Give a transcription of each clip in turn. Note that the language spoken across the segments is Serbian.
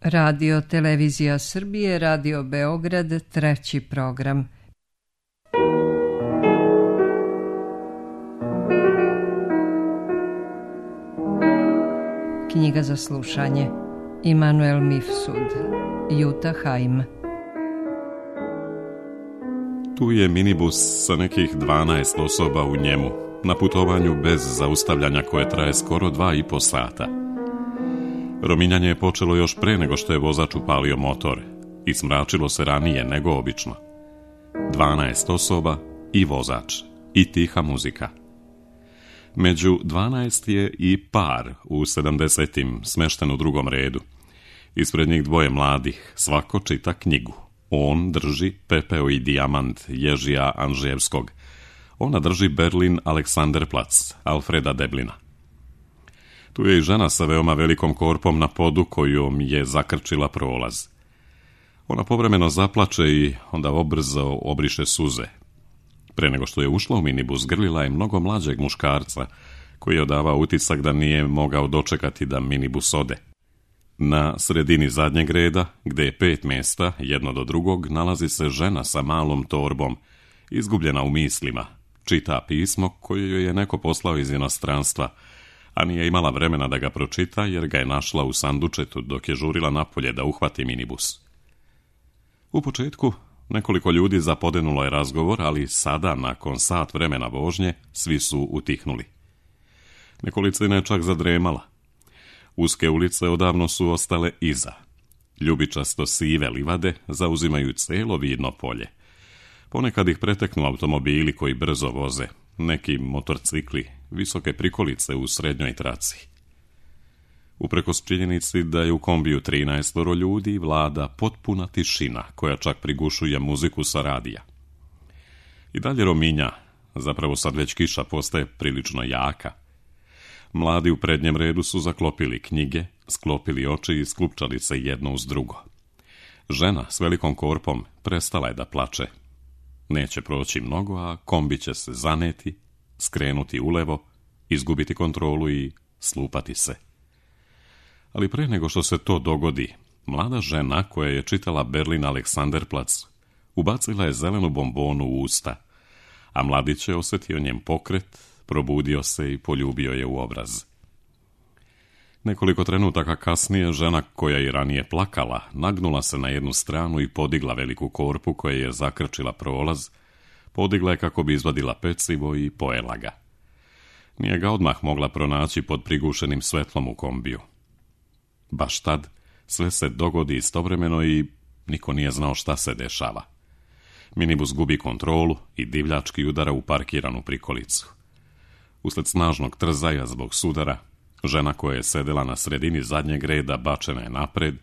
Radio Televizija Srbije, Radio Beograd, treći program. Knjiga za slušanje. Immanuel Mifsud, Jutta Heim. Tu je minibus sa nekih 12 osoba u njemu, na putovanju bez zaustavljanja koje traje skoro 2,5 sata. Rominjanje je počelo još pre nego što je vozač upalio motor i smračilo se ranije nego obično. 12 osoba i vozač i tiha muzika. Među 12 je i par u 70-im smešten u drugom redu. Ispred njih dvoje mladih, svako čita knjigu. On drži Pepeo i dijamant Ježija Anžijevskog. Ona drži Berlin Alexanderplatz Alfreda Deblina. Tu je i žena sa veoma velikom korpom na podu kojom je zakrčila prolaz. Ona povremeno zaplače i onda obrzo obriše suze. Pre nego što je ušla u minibus, grlila je mnogo mlađeg muškarca koji je odavao utisak da nije mogao dočekati da minibus ode. Na sredini zadnjeg reda, gde je 5 mjesta, jedno do drugog, nalazi se žena sa malom torbom, izgubljena u mislima. Čita pismo koje joj je neko poslao iz inostranstva, a nije imala vremena da ga pročita jer ga je našla u sandučetu dok je žurila napolje da uhvati minibus. U početku nekoliko ljudi zapodenulo je razgovor, ali sada, nakon sat vremena vožnje, svi su utihnuli. Nekolicina je čak zadremala. Uske ulice odavno su ostale iza. Ljubičasto sive livade zauzimaju celo vidno polje. Ponekad ih preteknu automobili koji brzo voze, neki motorcikli, visoke prikolice u srednjoj traci. Uprkos činjenici da je u kombiju 13 ljudi, vlada potpuna tišina koja čak prigušuje muziku sa radija. I dalje rominja, zapravo sad već kiša postaje prilično jaka. Mladi u prednjem redu su zaklopili knjige, sklopili oči i sklupčali se jedno uz drugo. Žena s velikom korpom prestala je da plače. Neće proći mnogo, a kombi će se zaneti, skrenuti ulevo, izgubiti kontrolu i slupati se. Ali pre nego što se to dogodi, mlada žena koja je čitala Berlin Alexanderplatz ubacila je zelenu bombonu u usta, a mladić je osjetio njen pokret, probudio se i poljubio je u obraz. Nekoliko trenutaka kasnije žena koja je ranije plakala nagnula se na jednu stranu i podigla veliku korpu koja je zakrčila prolaz, podigla je kako bi izvadila pecivo i pojela ga. Nije ga odmah mogla pronaći pod prigušenim svetlom u kombiju. Baš tad sve se dogodi istovremeno i niko nije znao šta se dešava. Minibus gubi kontrolu i divljački udara u parkiranu prikolicu. Usled snažnog trzaja zbog sudara, žena koja je sedela na sredini zadnjeg reda bačena je napred,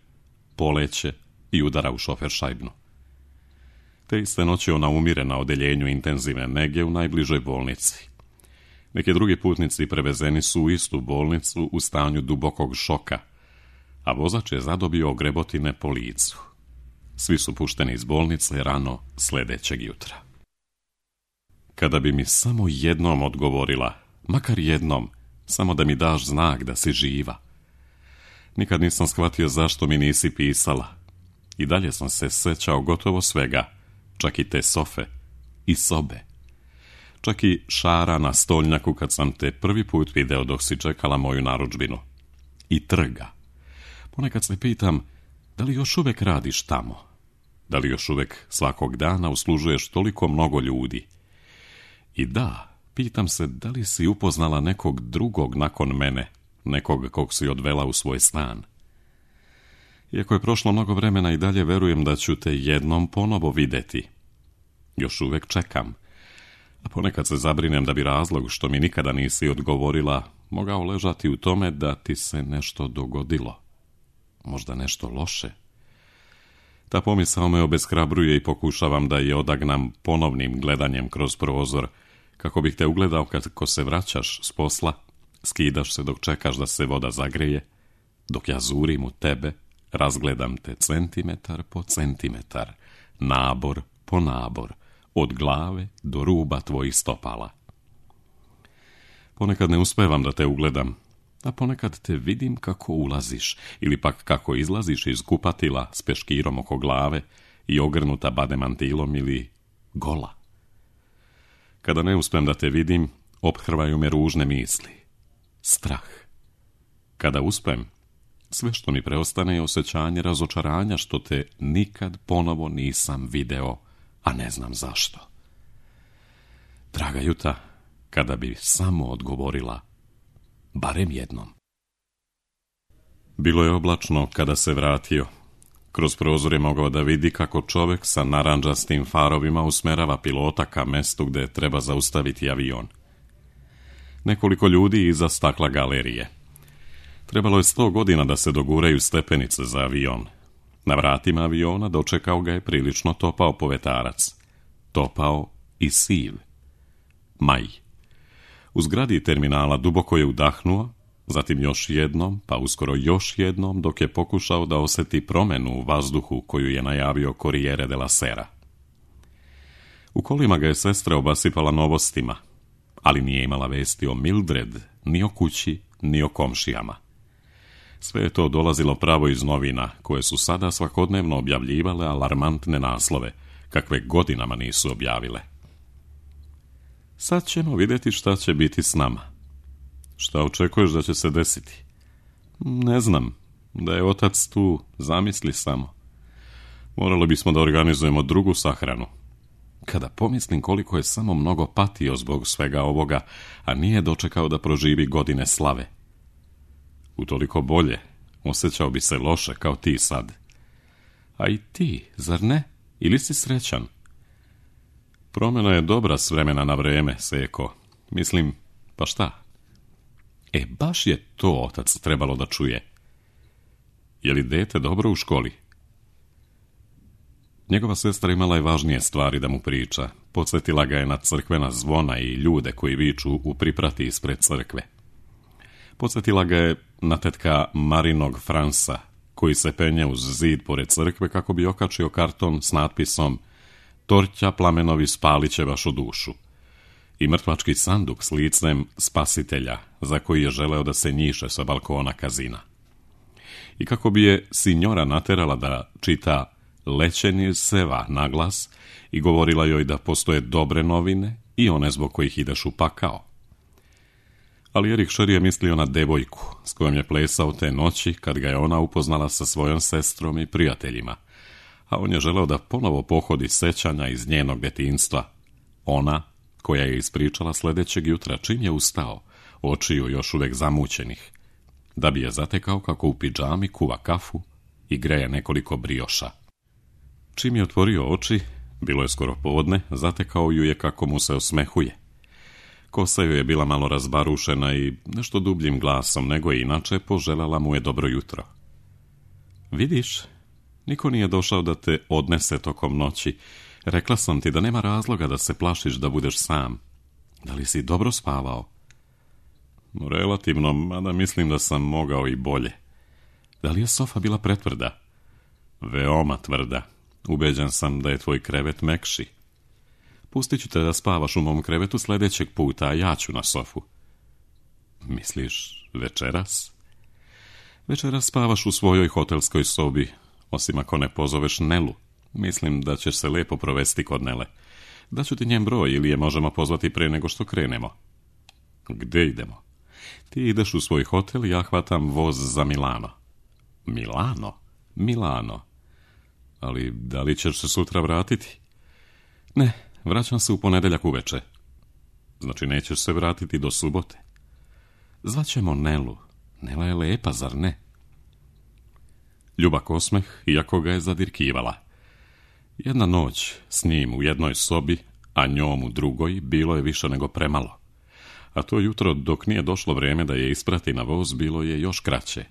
poleće i udara u šoferšajbnu. Te iste noći ona umire na odeljenju intenzivne nege u najbližoj bolnici. Neki drugi putnici prevezeni su u istu bolnicu u stanju dubokog šoka, a vozač je zadobio ogrebotine po licu. Svi su pušteni iz bolnice rano sljedećeg jutra. Kada bi mi samo jednom odgovorila, makar jednom, samo da mi daš znak da si živa. Nikad nisam shvatio zašto mi nisi pisala. I dalje sam se sećao gotovo svega, čak i te sofe i sobe. Čak i šara na stolnjaku kad sam te prvi put video dok si čekala moju narudžbinu. I trga. Ponekad se pitam, da li još uvek radiš tamo? Da li još uvek svakog dana uslužuješ toliko mnogo ljudi? I da, pitam se da li si upoznala nekog drugog nakon mene, nekog kog si odvela u svoj stan. Iako je prošlo mnogo vremena i dalje verujem da ću te jednom ponovo videti. Još uvek čekam, a ponekad se zabrinem da bi razlog što mi nikada nisi odgovorila mogao ležati u tome da ti se nešto dogodilo. Možda nešto loše. Ta pomisao me obeshrabruje i pokušavam da je odagnam ponovnim gledanjem kroz prozor, kako bih te ugledao kako se vraćaš s posla, skidaš se dok čekaš da se voda zagreje, dok ja zurim u tebe, razgledam te centimetar po centimetar, nabor po nabor, od glave do ruba tvojih stopala. Ponekad ne uspevam da te ugledam, a ponekad te vidim kako ulaziš ili pak kako izlaziš iz kupatila s peškirom oko glave i ogrnuta bademantilom ili gola. Kada ne uspem da te vidim, ophrvaju me ružne misli. Strah. Kada uspem, sve što mi preostane je osjećanje razočaranja što te nikad ponovo nisam video, a ne znam zašto. Draga Juta, kada bi samo odgovorila, barem jednom. Bilo je oblačno kada se vratio. Kroz prozor je mogao da vidi kako čovjek sa narandžastim farovima usmerava pilota ka mestu gde treba zaustaviti avion. Nekoliko ljudi iza stakla galerije. Trebalo je 100 godina da se doguraju stepenice za avion. Na vratima aviona dočekao ga je prilično topao povetarac. Topao i siv. Maj. U zgradi terminala duboko je udahnuo, zatim još jednom, pa uskoro još jednom, dok je pokušao da osjeti promenu u vazduhu koju je najavio Corriere della Sera. U kolima ga je sestra obasipala novostima, ali nije imala vesti o Mildred, ni o kući, ni o komšijama. Sve je to dolazilo pravo iz novina, koje su sada svakodnevno objavljivale alarmantne naslove, kakve godinama nisu objavile. Sad ćemo vidjeti šta će biti s nama. Šta očekuješ da će se desiti? Ne znam, da je otac tu, zamisli samo. Morali bismo da organizujemo drugu sahranu. Kada pomislim koliko je samo mnogo patio zbog svega ovoga, a nije dočekao da proživi godine slave. Utoliko bolje, osjećao bi se loše kao ti sad. A i ti, zar ne? Ili si srećan? Promjena je dobra s vremena na vreme, Seko. Mislim, pa šta? Baš je to otac trebalo da čuje. Je li dete dobro u školi? Njegova sestra imala je važnije stvari da mu priča. Podsjetila ga je na crkvena zvona i ljude koji viču u priprati ispred crkve. Podsjetila ga je na tetka Marinog Fransa, koji se penje uz zid pored crkve kako bi okačio karton s natpisom "Torća plamenovi spalit će vašu dušu" i mrtvački sanduk s licem spasitelja za koji je želeo da se njiše sa balkona kazina. I kako bi je sinjora naterala da čita Lećenje seva na glas i govorila joj da postoje dobre novine i one zbog kojih ideš u pakao. Ali Erik Šer je mislio na devojku s kojom je plesao te noći kad ga je ona upoznala sa svojom sestrom i prijateljima, a on je želeo da ponovo pohodi sećanja iz njenog detinjstva. Ona koja je ispričala sljedećeg jutra čim je ustao, očiju još uvek zamućenih, da bi je zatekao kako u pidžami kuva kafu i greje nekoliko brioša. Čim je otvorio oči, bilo je skoro podne, zatekao ju je kako mu se osmehuje. Kosa joj je bila malo razbarušena i nešto dubljim glasom nego je inače poželjela mu je dobro jutro. Vidiš, niko nije došao da te odnese tokom noći. Rekla sam ti da nema razloga da se plašiš da budeš sam. Da li si dobro spavao? Relativno, mada mislim da sam mogao i bolje. Da li je sofa bila pretvrda? Veoma tvrda. Ubeđen sam da je tvoj krevet mekši. Pustit ću te da spavaš u mom krevetu sljedećeg puta, a ja ću na sofu. Misliš večeras? Večeras spavaš u svojoj hotelskoj sobi, osim ako ne pozoveš Nelu. Mislim da ćeš se lepo provesti kod Nele. Daću ti njen broj ili je možemo pozvati pre nego što krenemo. Gde idemo? Ti ideš u svoj hotel i ja hvatam voz za Milano. Milano? Milano. Ali da li ćeš se sutra vratiti? Ne, vraćam se u ponedeljak uveče. Znači nećeš se vratiti do subote. Zvaćemo Nelu. Nela je lepa, zar ne? Ljubak osmeh, iako ga je zadirkivala. Jedna noć s njim u jednoj sobi, a njom u drugoj, bilo je više nego premalo. A to jutro, dok nije došlo vrijeme da je isprati na voz, bilo je još kraće.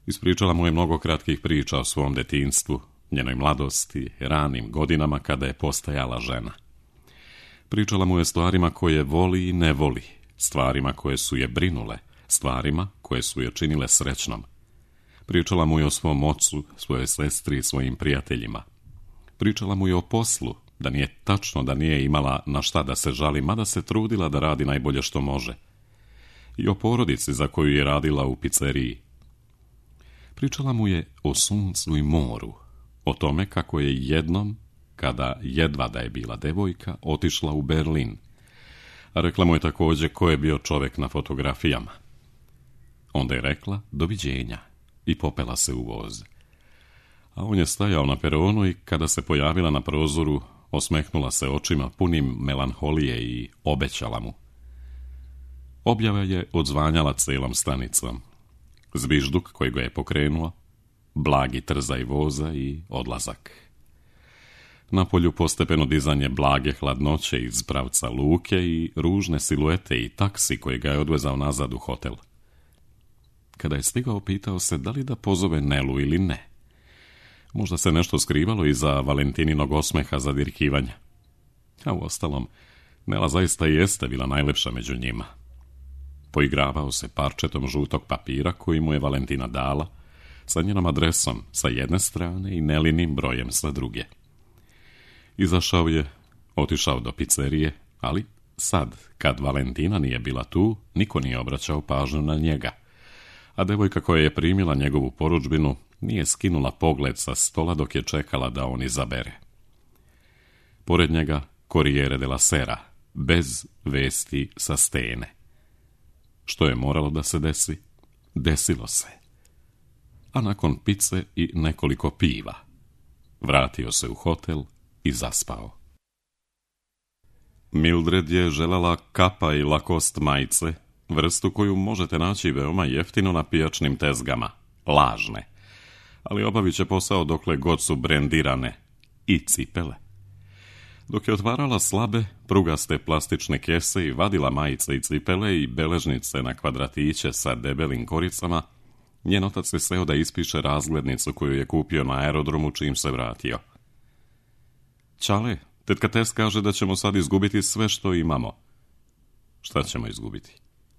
Ispričala mu je mnogo kratkih priča o svom detinjstvu, njenoj mladosti, ranim godinama kada je postajala žena. Pričala mu je stvarima koje voli i ne voli, stvarima koje su je brinule, stvarima koje su je činile srećnom. Pričala mu je o svom ocu, svojoj sestri i svojim prijateljima. Pričala mu je o poslu, da nije tačno da nije imala na šta da se žali, mada se trudila da radi najbolje što može. i o porodici za koju je radila u pizzeriji. Pričala mu je o suncu i moru, o tome kako je jednom, kada jedva da je bila devojka, otišla u Berlin. A rekla mu je također ko je bio čovjek na fotografijama. Onda je rekla doviđenja i popela se u voz. A on je stajao na peronu i kada se pojavila na prozoru, osmehnula se očima punim melanholije i obećala mu. Objava je odzvanjala celom stanicom. Zvižduk koji ga je pokrenuo, blagi trzaj voza i odlazak. Napolju postepeno dizanje blage hladnoće iz pravca luke i ružne siluete i taksi koji ga je odvezao nazad u hotel. Kada je stigao, pitao se da li da pozove Nelu ili ne. Možda se nešto skrivalo iza Valentininog osmeha zadirkivanja. A uostalom, Nela zaista jeste bila najlepša među njima. Poigravao se parčetom žutog papira koji mu je Valentina dala, sa njenom adresom sa jedne strane i Nelinim brojem sa druge. Izašao je, otišao do pizzerije, ali sad, kad Valentina nije bila tu, niko nije obraćao pažnju na njega, a devojka koja je primila njegovu porudžbinu nije skinula pogled sa stola dok je čekala da on izabere. Pored njega Corriere della Sera, bez vesti sa stene. Što je moralo da se desi? Desilo se. A nakon pice i nekoliko piva, vratio se u hotel i zaspao. Mildred je željela kapa i Lacoste majice, vrstu koju možete naći veoma jeftino na pijačnim tezgama, lažne, ali obavit će posao dokle god su brendirane, i cipele. Dok je otvarala slabe, prugaste plastične kese i vadila majice i cipele i beležnice na kvadratiće sa debelim koricama, njen otac je seo da ispiše razglednicu koju je kupio na aerodromu čim se vratio. Čale, tetka Tes kaže da ćemo sad izgubiti sve što imamo. Šta ćemo izgubiti?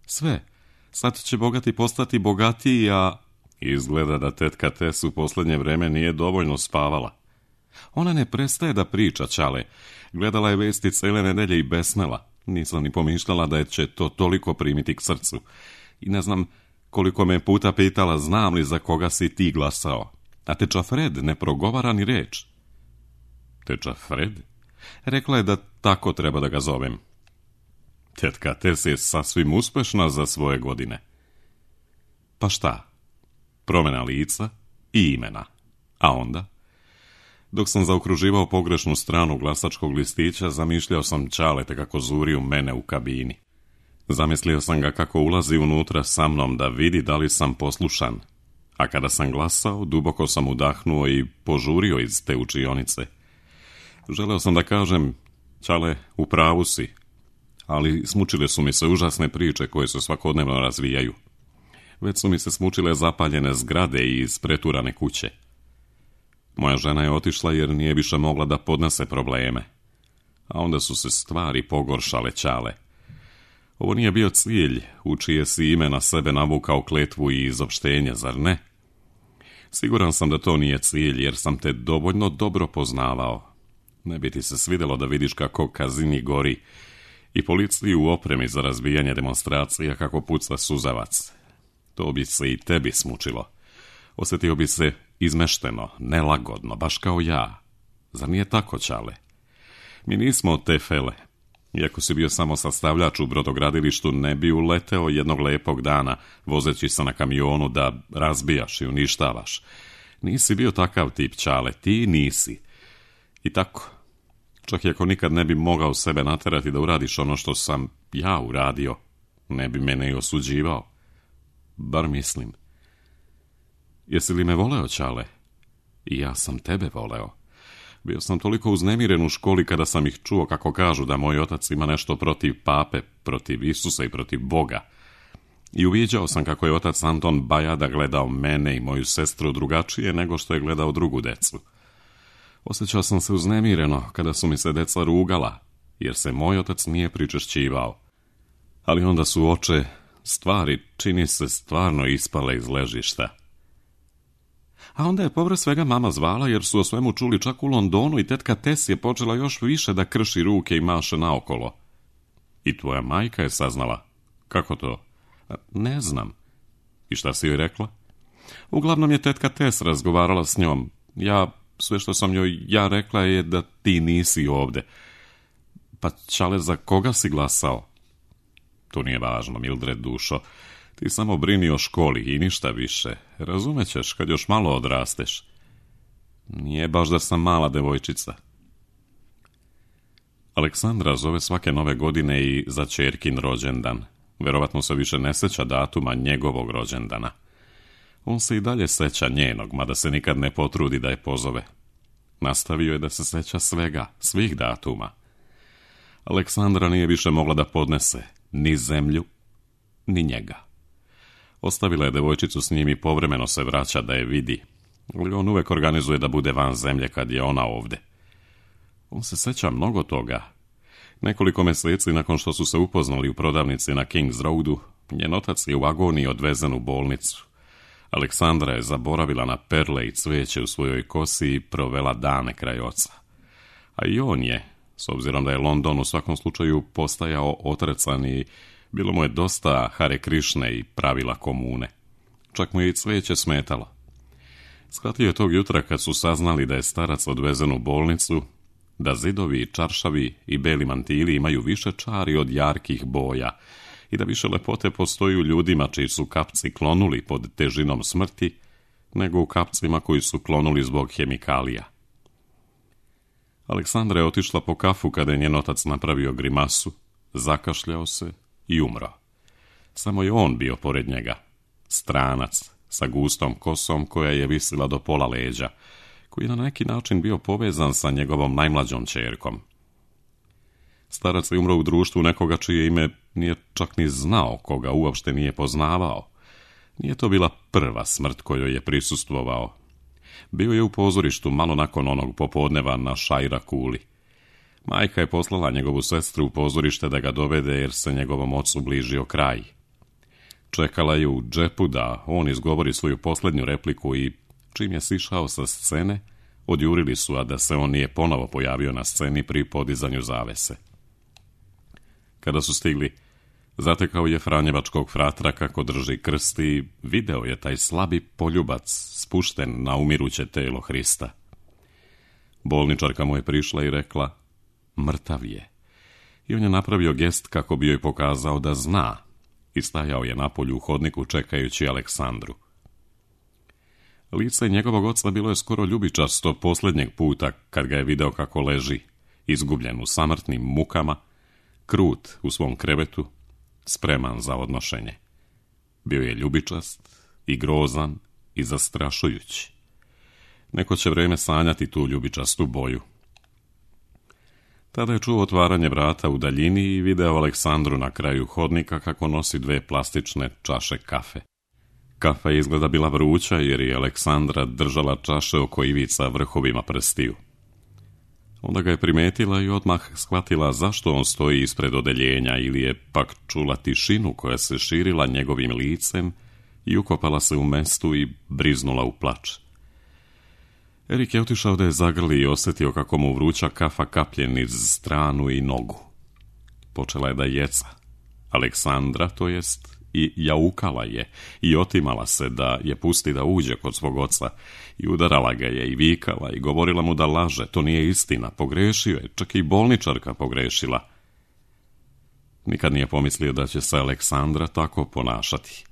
Sve. Sad će bogati postati bogatiji, a izgleda da tetka Tes u posljednje vreme nije dovoljno spavala. Ona ne prestaje da priča, Čale. Gledala je vesti cele nedelje i besnela. Nisam ni pomišljala da će to toliko primiti k srcu. I ne znam koliko me puta pitala znam li za koga si ti glasao. A teča Fred ne progovara ni reč. Teča Fred? Rekla je da tako treba da ga zovem. Tetka Tes je sasvim uspešna za svoje godine. Pa šta? Promjena lica i imena. A onda? Dok sam zaokruživao pogrešnu stranu glasačkog listića, zamišljao sam Čaleta kako zuri u mene u kabini. Zamislio sam ga kako ulazi unutra sa mnom da vidi da li sam poslušan. A kada sam glasao, duboko sam udahnuo i požurio iz te učionice. Želeo sam da kažem, Čale, u pravu si, ali smučile su mi se užasne priče koje se svakodnevno razvijaju. Već su mi se smučile zapaljene zgrade i ispreturane kuće. Moja žena je otišla jer nije više mogla da podnese probleme. A onda su se stvari pogoršale, Čale. Ovo nije bio cilj u čije si ime na sebe navukao kletvu i izopštenje, zar ne? Siguran sam da to nije cilj jer sam te dovoljno dobro poznavao. Ne bi ti se svidjelo da vidiš kako Kazini gori i policiji u opremi za razbijanje demonstracija kako puca suzavac. To bi se i tebi smučilo. Osjetio bi se izmešteno, nelagodno, baš kao ja. Zar nije tako, Čale? Mi nismo te fele. Iako si bio samo sastavljač u brodogradilištu, ne bi uleteo jednog lepog dana, vozeći se na kamionu da razbijaš i uništavaš. Nisi bio takav tip, Čale, ti nisi. I tako, čak i ako nikad ne bi mogao sebe naterati da uradiš ono što sam ja uradio, ne bi mene i osuđivao. Bar mislim. Jesi li me voleo, Čale? I ja sam tebe voleo. Bio sam toliko uznemiren u školi kada sam ih čuo kako kažu da moj otac ima nešto protiv pape, protiv Isusa i protiv Boga. I uviđao sam kako je otac Anton Bajada gledao mene i moju sestru drugačije nego što je gledao drugu decu. Osjećao sam se uznemireno kada su mi se deca rugala, jer se moj otac nije pričešćivao. Ali onda su oče stvari, čini se, stvarno ispale iz ležišta. A onda je povrh svega mama zvala jer su o svemu čuli čak u Londonu i tetka Tes je počela još više da krši ruke i maše naokolo. I tvoja majka je saznala. Kako to? Ne znam. I šta si joj rekla? Uglavnom je tetka Tess razgovarala s njom. Sve što sam joj rekla je da ti nisi ovde. Pa čale, za koga si glasao? To nije važno, Mildred dušo. Ti samo brini o školi i ništa više. Razumećeš kad još malo odrasteš. Nije baš da sam mala devojčica. Aleksandra zove svake nove godine i za ćerkin rođendan. Verovatno se više ne seća datuma njegovog rođendana. On se i dalje seća njenog, mada se nikad ne potrudi da je pozove. Nastavio je da se seća svega, svih datuma. Aleksandra nije više mogla da podnese ni zemlju, ni njega. Ostavila je devojčicu s njim i povremeno se vraća da je vidi, ali on uvek organizuje da bude van zemlje kad je ona ovde. On se seća mnogo toga. Nekoliko meseci nakon što su se upoznali u prodavnici na Kings Roadu, njen otac je u agoniji odvezen u bolnicu. Aleksandra je zaboravila na perle i cveće u svojoj kosi i provela dane kraj oca. A i on je, s obzirom da je London u svakom slučaju postajao otrecan i bilo mu je dosta Hare Krišne i pravila komune. Čak mu je i cveće smetalo. Shvatio je tog jutra kad su saznali da je starac odvezen u bolnicu, da zidovi, čaršavi i beli mantili imaju više čari od jarkih boja i da više lepote postoji u ljudima čiji su kapci klonuli pod težinom smrti, nego u kapcima koji su klonuli zbog hemikalija. Aleksandra je otišla po kafu kada je njen otac napravio grimasu, zakašljao se i umro. Samo je on bio pored njega, stranac sa gustom kosom koja je visila do pola leđa, koji je na neki način bio povezan sa njegovom najmlađom ćerkom. Starac je umro u društvu nekoga čije ime nije čak ni znao, koga uopšte nije poznavao. Nije to bila prva smrt kojoj je prisustvovao. Bio je u pozorištu malo nakon onog popodneva na Šajra kuli. Majka je poslala njegovu sestru u pozorište da ga dovede jer se njegovom ocu bližio kraj. Čekala je u džepu da on izgovori svoju posljednju repliku i čim je sišao sa scene, odjurili su, a da se on nije ponovo pojavio na sceni pri podizanju zavese. Kada su stigli, zatekao je franjevačkog fratra kako drži krst i video je taj slabi poljubac spušten na umiruće telo Hrista. Bolničarka mu je prišla i rekla, mrtav je. I on je napravio gest kako bi joj pokazao da zna i stajao je napolju u hodniku čekajući Aleksandru. Lice njegovog oca bilo je skoro ljubičasto posljednjeg puta kad ga je video kako leži, izgubljen u samrtnim mukama, krut u svom krevetu, spreman za odnošenje. Bio je ljubičast i grozan i zastrašujući. Neko će vreme sanjati tu ljubičastu boju. Tada je čuo otvaranje vrata u daljini i video Aleksandru na kraju hodnika kako nosi 2 plastične čaše kafe. Kafa je izgleda bila vruća jer je Aleksandra držala čaše oko ivica vrhovima prstiju. Onda ga je primetila i odmah shvatila zašto on stoji ispred odeljenja ili je pak čula tišinu koja se širila njegovim licem i ukopala se u mestu i briznula u plač. Erik je otišao da je zagrli i osjetio kako mu vruća kafa kaplje niz stranu i nogu. Počela je da jeca. Aleksandra, to jest, i jaukala je i otimala se da je pusti da uđe kod svog oca i udarala ga je i vikala i govorila mu da laže, to nije istina, pogrešio je, čak i bolničarka pogrešila. Nikad nije pomislio da će se Aleksandra tako ponašati.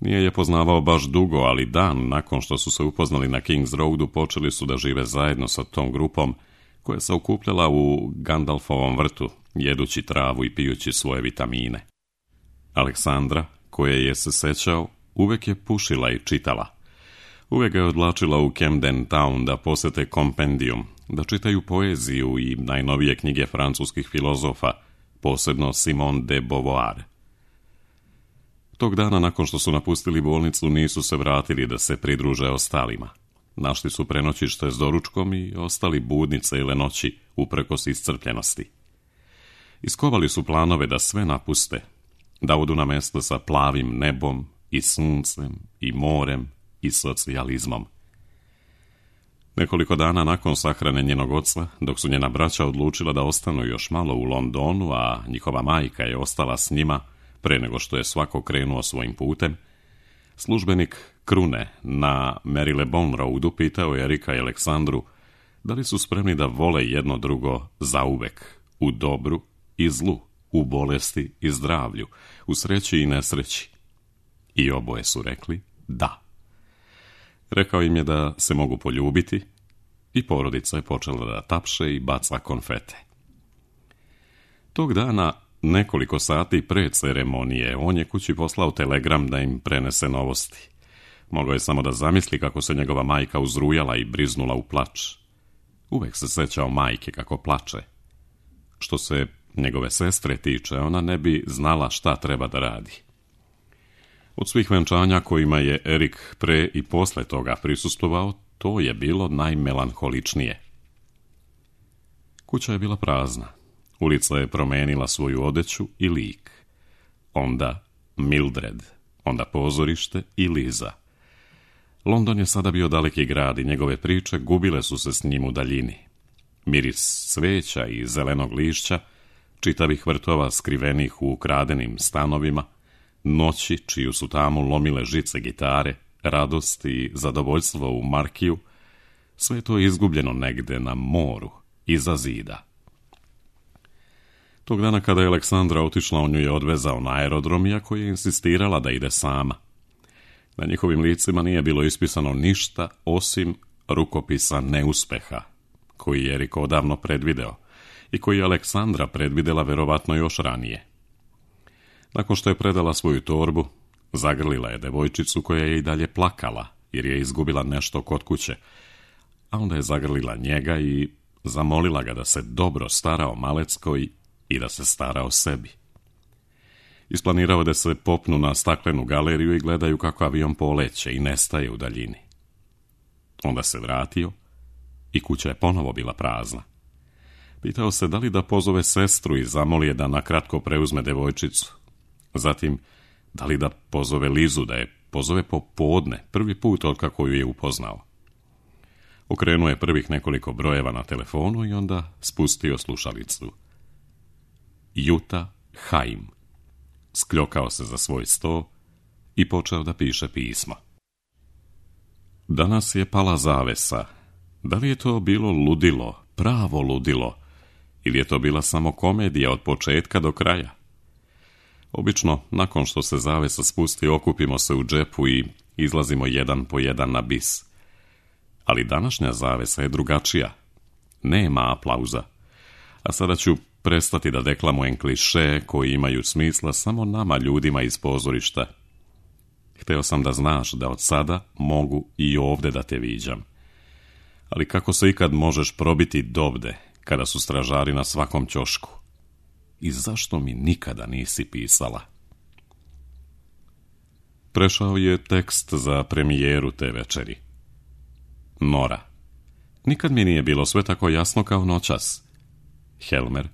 Nije je poznavao baš dugo, ali dan nakon što su se upoznali na Kings Roadu počeli su da žive zajedno sa tom grupom koja se okupljala u Gandalfovom vrtu, jedući travu i pijući svoje vitamine. Aleksandra, koje je se sećao, uvek je pušila i čitala. Uvek ga je odlačila u Camden Town da posete kompendium, da čitaju poeziju i najnovije knjige francuskih filozofa, posebno Simone de Beauvoir. Tog dana nakon što su napustili bolnicu nisu se vratili da se pridruže ostalima. Našli su prenoćište s doručkom i ostali budni cele noći uprkos iscrpljenosti. Iskovali su planove da sve napuste, da odu na mesto sa plavim nebom i suncem i morem i socijalizmom. Nekoliko dana nakon sahrane njenog oca, dok su njena braća odlučila da ostanu još malo u Londonu, a njihova majka je ostala s njima, pre nego što je svako krenuo svojim putem, službenik Krune na Marylebone Roadu pitao je Erika i Aleksandru da li su spremni da vole jedno drugo zauvek, u dobru i zlu, u bolesti i zdravlju, u sreći i nesreći. I oboje su rekli da. Rekao im je da se mogu poljubiti i porodica je počela da tapše i baca konfete. Tog dana, nekoliko sati pre ceremonije, on je kući poslao telegram da im prenese novosti. Mogao je samo da zamisli kako se njegova majka uzrujala i briznula u plač. Uvek se sećao majke kako plače. Što se njegove sestre tiče, ona ne bi znala šta treba da radi. Od svih venčanja kojima je Erik pre i posle toga prisustvovao, to je bilo najmelanholičnije. Kuća je bila prazna. Ulica je promenila svoju odeću i lik. Onda Mildred, onda pozorište i Liza. London je sada bio daleki grad i njegove priče gubile su se s njim u daljini. Miris cveća i zelenog lišća, čitavih vrtova skrivenih u ukradenim stanovima, noći čiju su tamo lomile žice gitare, radost i zadovoljstvo u Markiju, sve to je izgubljeno negde na moru, iza zida. Tog dana kada je Aleksandra otišla, on ju je odvezao na aerodrom, iako je insistirala da ide sama. Na njihovim licima nije bilo ispisano ništa osim rukopisa neuspeha, koji je Erik odavno predvideo i koji je Aleksandra predvidela verovatno još ranije. Nakon što je predala svoju torbu, zagrlila je devojčicu koja je i dalje plakala jer je izgubila nešto kod kuće, a onda je zagrlila njega i zamolila ga da se dobro stara o Maleckoj i da se stara o sebi. Isplanirao da se popnu na staklenu galeriju i gledaju kako avion poleće i nestaje u daljini. Onda se vratio i kuća je ponovo bila prazna. Pitao se da li da pozove sestru i zamoli je da nakratko preuzme devojčicu. Zatim, da li da pozove Lizu, da je pozove popodne, prvi put od kako ju je upoznao. Okrenuo je prvih nekoliko brojeva na telefonu i onda spustio slušalicu. Juta Haim. Skljokao se za svoj sto i počeo da piše pismo. Danas je pala zavesa. Da li je to bilo ludilo, pravo ludilo, ili je to bila samo komedija od početka do kraja? Obično, nakon što se zavesa spusti, okupimo se u džepu i izlazimo jedan po jedan na bis. Ali današnja zavesa je drugačija. Nema aplauza. A sada ću prestati da deklamujem kliše koji imaju smisla samo nama ljudima iz pozorišta. Hteo sam da znaš da od sada mogu i ovde da te viđam. Ali kako se ikad možeš probiti dovde kada su stražari na svakom ćošku? I zašto mi nikada nisi pisala? Prešao je tekst za premijeru te večeri. Nora. Nikad mi nije bilo sve tako jasno kao noćas. Helmer.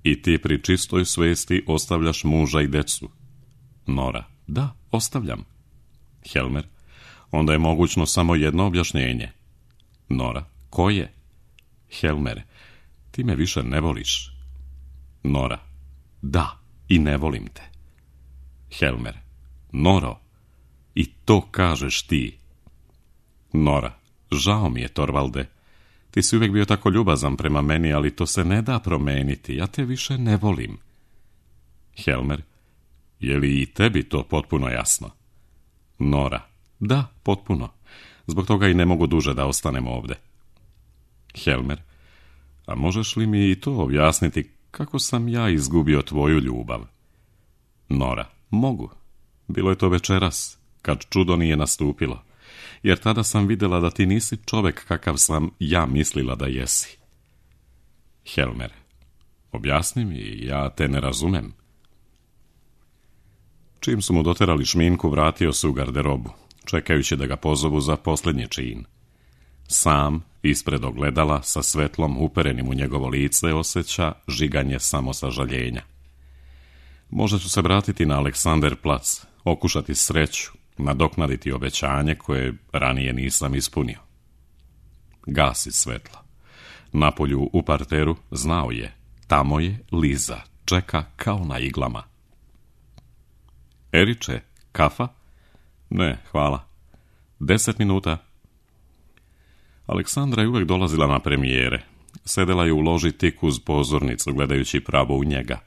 I ti pri čistoj svesti ostavljaš muža i decu. Nora. Da, ostavljam. Helmer. Onda je mogućno samo jedno objašnjenje. Nora. Koje? Helmer. Ti me više ne voliš. Nora. Da, i ne volim te. Helmer. Noro. I to kažeš ti. Nora. Žao mi je, Torvalde. Ti si uvijek bio tako ljubazan prema meni, ali to se ne da promeniti. Ja te više ne volim. Helmer. Je li i tebi to potpuno jasno? Nora. Da, potpuno. Zbog toga i ne mogu duže da ostanem ovde. Helmer. A možeš li mi i to objasniti kako sam ja izgubio tvoju ljubav? Nora. Mogu. Bilo je to večeras, kad čudo nije nastupilo. Jer tada sam vidjela da ti nisi čovek kakav sam ja mislila da jesi. Helmer. Objasni mi, ja te ne razumem. Čim su mu doterali šminku, vratio se u garderobu, čekajući da ga pozovu za posljednji čin. Sam, ispred ogledala, sa svetlom uperenim u njegovo lice, osjeća žiganje samosažaljenja. Možda ću se vratiti na Aleksanderplac, okušati sreću, nadoknaditi obećanje koje ranije nisam ispunio. Gasi svetlo. Napolju u parteru znao je, tamo je Liza, čeka kao na iglama. Eriče, kafa? Ne, hvala. 10 minuta. Aleksandra je uvijek dolazila na premijere. Sedela je u loži tik uz pozornicu, gledajući pravo u njega.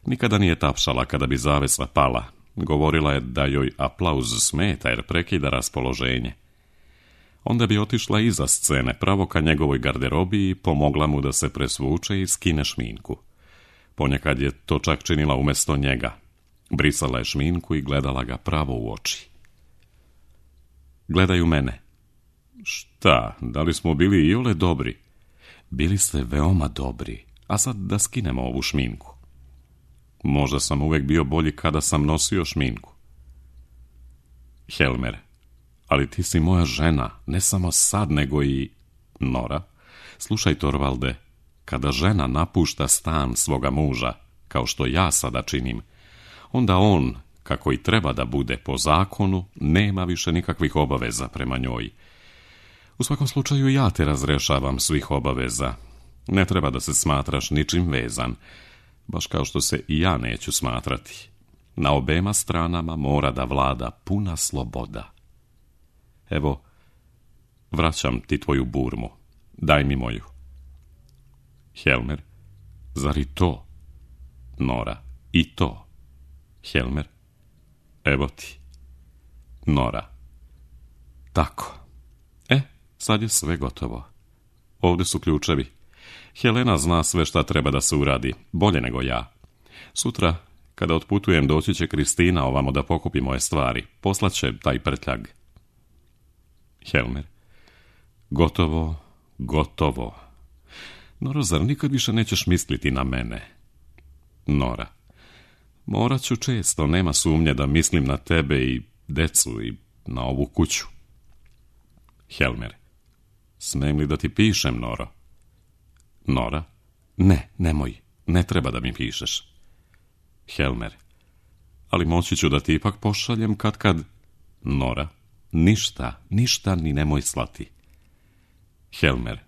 Nikada nije tapšala kada bi zavesa pala. Govorila je da joj aplauz smeta jer prekida raspoloženje. Onda bi otišla iza scene, pravo ka njegovoj garderobi i pomogla mu da se presvuče i skine šminku. Ponekad je to čak činila umjesto njega. Brisala je šminku i gledala ga pravo u oči. Gledaj u mene. Šta, da li smo bili iole dobri? Bili ste veoma dobri, a sad da skinemo ovu šminku. Možda sam uvijek bio bolji kada sam nosio šminku. Helmer, ali ti si moja žena, ne samo sad, nego i... Nora, slušaj Torvalde, kada žena napušta stan svoga muža, kao što ja sada činim, onda on, kako i treba da bude po zakonu, nema više nikakvih obaveza prema njoj. U svakom slučaju ja te razrešavam svih obaveza. Ne treba da se smatraš ničim vezan, baš kao što se i ja neću smatrati. Na obema stranama mora da vlada puna sloboda. Evo, vraćam ti tvoju burmu. Daj mi moju. Helmer, zar i to? Nora, i to. Helmer, evo ti. Nora, tako. Sad je sve gotovo. Ovdje su ključevi. Helena zna sve šta treba da se uradi, bolje nego ja. Sutra, kada otputujem, doći će Kristina ovamo da pokupi moje stvari. Poslaće taj prtljag. Helmer, gotovo, gotovo. Nora, zar nikad više nećeš misliti na mene? Nora, morat ću često, nema sumnje da mislim na tebe i decu i na ovu kuću. Helmer, smijem li da ti pišem, Noro? Nora, ne, nemoj, ne treba da mi pišeš. Helmer, ali moći ću da ti ipak pošaljem kad... Nora, ništa ni nemoj slati. Helmer,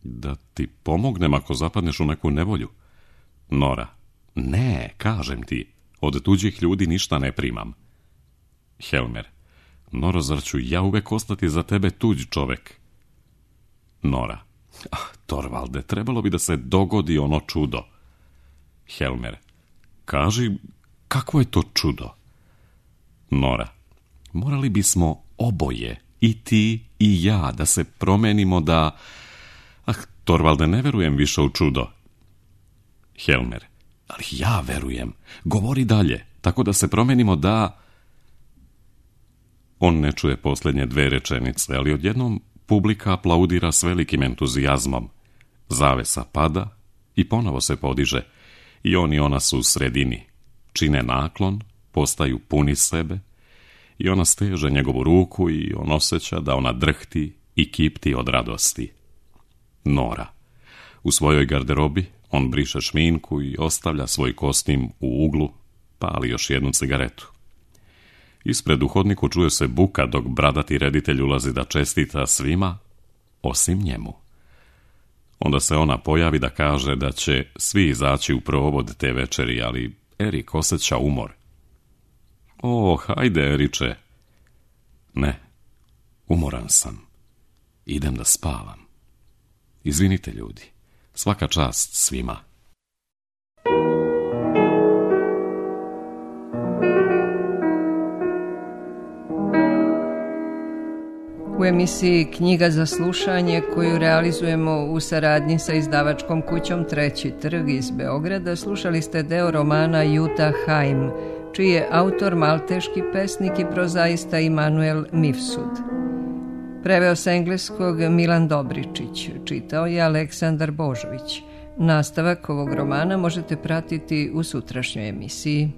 da ti pomognem ako zapadneš u neku nevolju. Nora, ne, kažem ti, od tuđih ljudi ništa ne primam. Helmer, Noro, zar ću ja uvek ostati za tebe tuđ čovek? Nora, Torvalde, trebalo bi da se dogodi ono čudo. Helmer, kaži, kakvo je to čudo? Nora, morali bismo oboje, i ti i ja, da se promenimo da... Torvalde, ne verujem više u čudo. Helmer, ali ja verujem. Govori dalje, tako da se promenimo da... On ne čuje posljednje 2 rečenice, ali odjednom publika aplaudira s velikim entuzijazmom. Zavesa pada i ponovo se podiže. I on i ona su u sredini. Čine naklon, postaju puni sebe i ona steže njegovu ruku i on osjeća da ona drhti i kipti od radosti. Nora. U svojoj garderobi on briše šminku i ostavlja svoj kostim u uglu, pali još jednu cigaretu. Ispred u hodniku čuje se buka dok bradati reditelj ulazi da čestita svima, osim njemu. Onda se ona pojavi da kaže da će svi izaći u provod te večeri, ali Erik osjeća umor. O, hajde, Eriče. Ne, umoran sam. Idem da spavam. Izvinite, ljudi. Svaka čast svima. U emisiji Knjiga za slušanje, koju realizujemo u saradnji sa izdavačkom kućom Treći trg iz Beograda, slušali ste deo romana Juta Haim, čiji je autor malteški pesnik i prozaista Immanuel Mifsud. Preveo sa engleskog Milan Dobričić, čitao je Aleksandar Božović. Nastavak ovog romana možete pratiti u sutrašnjoj emisiji.